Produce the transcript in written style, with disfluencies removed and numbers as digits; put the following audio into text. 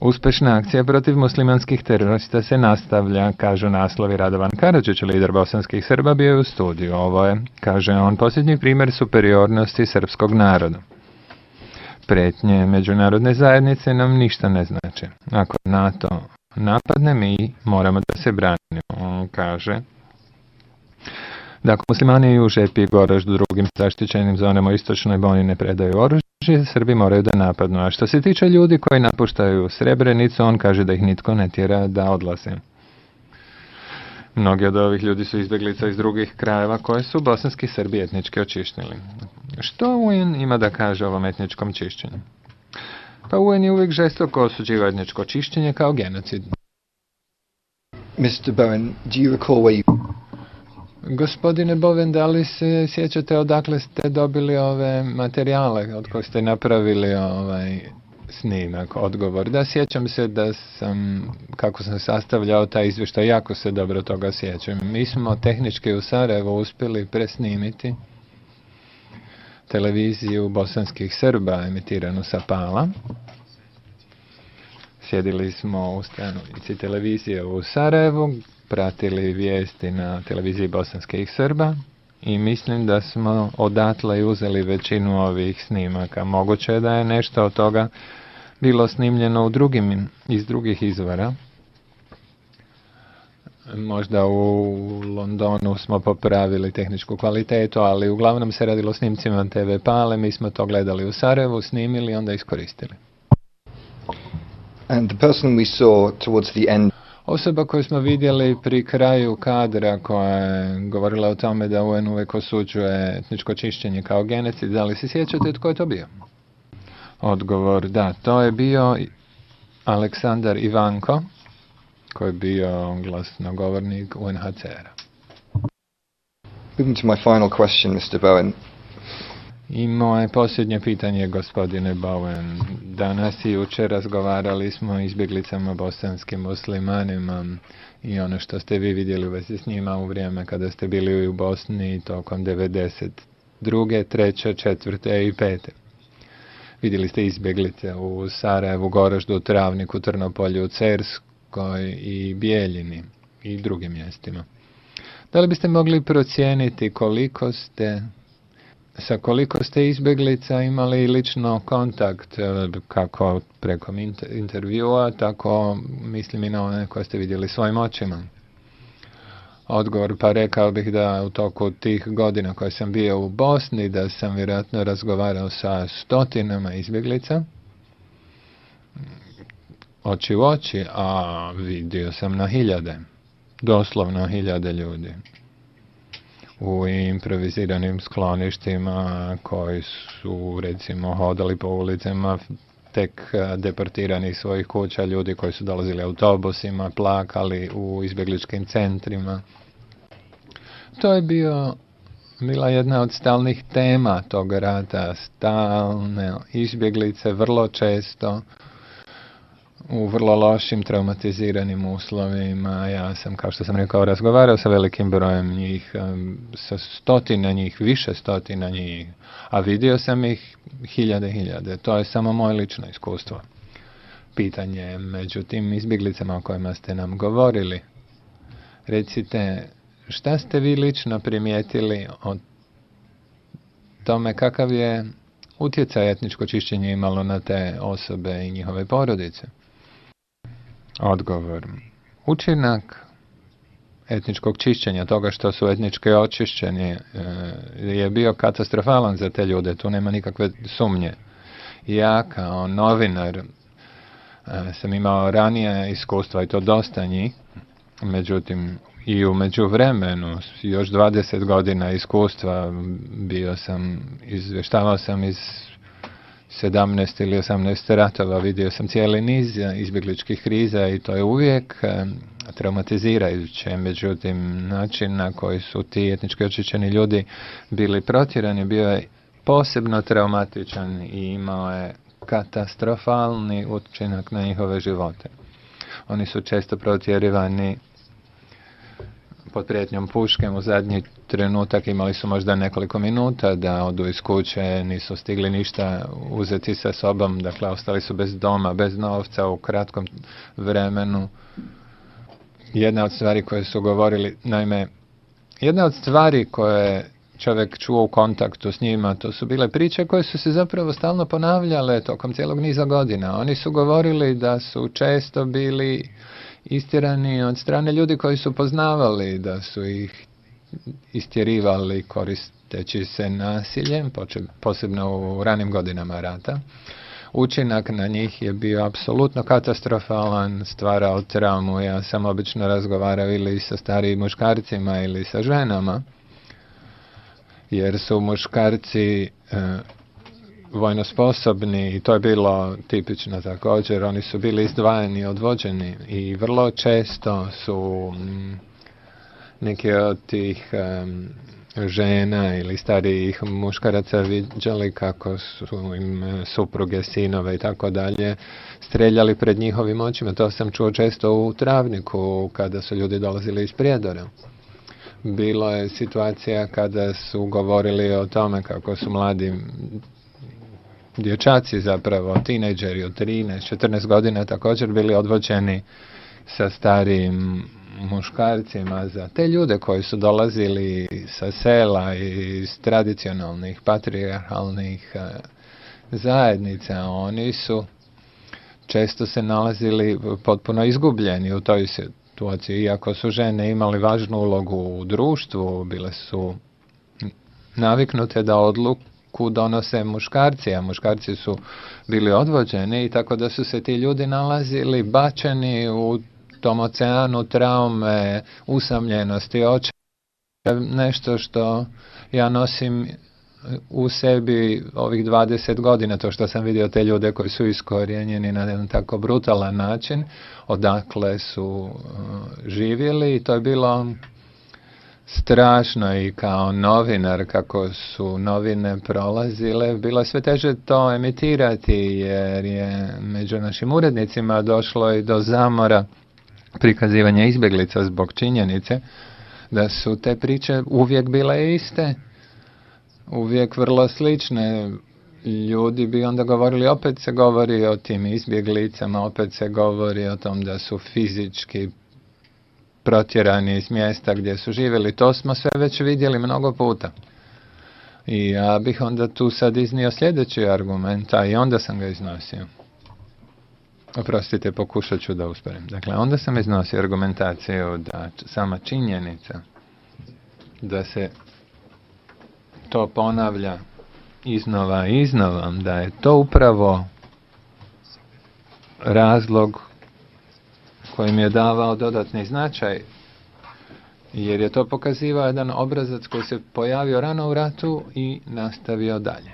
Uspešna akcija protiv muslimanskih terorista se nastavlja, kažu naslovi. Radovan Karadžić, lider bosanskih Srba, bio je u studiju. Ovo je, kaže on, posljednji primjer superiornosti srpskog naroda. Pretnje međunarodne zajednice nam ništa ne znači. Ako NATO napadne, mi moramo da se branimo. On kaže da ako muslimani i u Žepi i Goraždu drugim zaštićenim zonama u istočnoj Bosni ne predaju oružje, Srbi moraju da napadnu. A što se tiče ljudi koji napuštaju Srebrenicu, on kaže da ih nitko ne tjera da odlaze. Mnogi od ovih ljudi su izbjeglica iz drugih krajeva koje su bosanski Srbi etnički očištili. Što UN ima da kaže o ovom etničkom čišćenju? Pa UN je uvijek žestoko osuđivao etničko čišćenje kao genocid. Mr. Bowen, do you recall where you... Gospodine Bowen, da li se sjećate odakle ste dobili ove materijale od kojih ste napravili snimak? Odgovor. Da, sjećam se da sam, kako sam sastavljao taj izvještaj, jako se dobro toga sjećam. Mi smo tehnički u Sarajevu uspjeli presnimiti televiziju bosanskih Srba emitiranu sa Pala. Sjedili smo u stanici televizije u Sarajevu, pratili vijesti na televiziji bosanskih Srba i mislim da smo odatle uzeli većinu ovih snimaka. Moguće je da je nešto od toga bilo snimljeno iz drugih izvora. Možda u Londonu smo popravili tehničku kvalitetu, ali uglavnom se radilo o snimcima TV Pale. Mi smo to gledali u Sarajevu, snimili i onda iskoristili. And the person we saw towards the end... Osoba koju smo vidjeli pri kraju kadra koja je govorila o tome da UN uvijek osuđuje etničko čišćenje kao genocid, da li se sjećate tko je to bio? Odgovor, da, to je bio Aleksandar Ivanko, koji je bio glasnogovornik UNHCR-a. Moving to my final question, Mr. Bowen. I moje posljednje pitanje, gospodine Bowen. Danas i jučer razgovarali smo o izbjeglicama bosanskim muslimanima i ono što ste vi vidjeli u vezi s njima u vrijeme kada ste bili u Bosni tokom 92., 3., 4. i 5. Vidjeli ste izbjeglice u Sarajevu, Goraždu, Travniku, Trnopolju, Cerskoj i Bijeljini i drugim mjestima. Da li biste mogli procijeniti sa koliko ste izbjeglica imali lično kontakt, kako preko intervjua, tako mislim i na one koje ste vidjeli svojim očima? Odgovor, pa rekao bih da u toku tih godina koje sam bio u Bosni, da sam vjerojatno razgovarao sa stotinama izbjeglica, oči u oči, a vidio sam na hiljade, doslovno hiljade ljudi u improviziranim skloništima koji su recimo hodali po ulicama tek deportirani iz svojih kuća, ljudi koji su dolazili autobusima, plakali u izbjegličkim centrima. To je bila jedna od stalnih tema tog rata, stalne izbjeglice, vrlo često u vrlo lošim, traumatiziranim uslovima. Ja sam, kao što sam rekao, razgovarao sa velikim brojem njih, sa stotina njih, više stotina njih, a vidio sam ih hiljade. To je samo moje lično iskustvo. Pitanje među tim izbjeglicama o kojima ste nam govorili. Recite, šta ste vi lično primijetili o tome kakav je utjecaj etničko čišćenje imalo na te osobe i njihove porodice? Odgovor. Učinak etničkog čišćenja, toga što su etnički očišćeni, je bio katastrofalan za te ljude, tu nema nikakve sumnje. Ja kao novinar sam imao ranije iskustva i to dosta njih, međutim i u međuvremenu još 20 godina iskustva izvještavao sam iz 17 ili 18 ratova, vidio sam cijeli niz izbjegličkih kriza i to je uvijek traumatizirajuće. Međutim, način na koji su ti etnički očišćeni ljudi bili protjerani bio je posebno traumatičan i imao je katastrofalni učinak na njihove živote. Oni su često protjerivani pod prijetnjom puške u zadnji trenutak imali su možda nekoliko minuta da odu iz kuće, nisu stigli ništa uzeti sa sobom, dakle ostali su bez doma, bez novca u kratkom vremenu. Jedna od stvari koje su govorili, naime, jedna od stvari koje čovjek čuo u kontaktu s njima, to su bile priče koje su se zapravo stalno ponavljale tokom cijelog niza godina. Oni su govorili da su često bili istjerani od strane ljudi koji su poznavali, da su ih istjerivali koristeći se nasiljem, posebno u ranim godinama rata. Učinak na njih je bio apsolutno katastrofalan, stvarao traumu. Ja sam obično razgovarao ili sa starijim muškarcima ili sa ženama, jer su muškarci vojno sposobni i to je bilo tipično također. Oni su bili izdvajani, odvođeni i vrlo često su neki od tih žena ili starijih muškaraca viđali kako su im supruge, sinove i tako dalje streljali pred njihovim očima. To sam čuo često u Travniku kada su ljudi dolazili iz Prijedora. Bilo je situacija kada su govorili o tome kako su mladi dječaci, zapravo tinejdžeri od 13-14 godina također bili odvođeni sa starijim muškarcima. Za te ljude koji su dolazili sa sela i iz tradicionalnih patrijarhalnih zajednica, oni su često se nalazili potpuno izgubljeni u toj situaciji. Iako su žene imali važnu ulogu u društvu, bile su naviknute da odluku donose muškarci, a muškarci su bili odvođeni i tako da su se ti ljudi nalazili bačeni u tom oceanu traume, usamljenosti, nešto što ja nosim u sebi ovih 20 godina, to što sam vidio te ljude koji su iskorijenjeni na jedan tako brutalan način, odakle su živjeli, i to je bilo strašno. I kao novinar, kako su novine prolazile, bilo je sve teže to emitirati, jer je među našim urednicima došlo i do zamora prikazivanja izbjeglica zbog činjenice da su te priče uvijek bile iste, uvijek vrlo slične. Ljudi bi onda govorili, opet se govori o tim izbjeglicama, opet se govori o tom da su fizički protjerani iz mjesta gdje su živjeli. To smo sve već vidjeli mnogo puta. I ja bih onda tu sad iznio sljedeći argument, a i onda sam ga iznosio. Oprostite, pokušat ću da usporim. Dakle, onda sam iznosio argumentaciju da sama činjenica da se to ponavlja iznova i iznova, da je to upravo razlog kojim je davao dodatni značaj, jer je to pokazivao jedan obrazac koji se pojavio rano u ratu i nastavio dalje.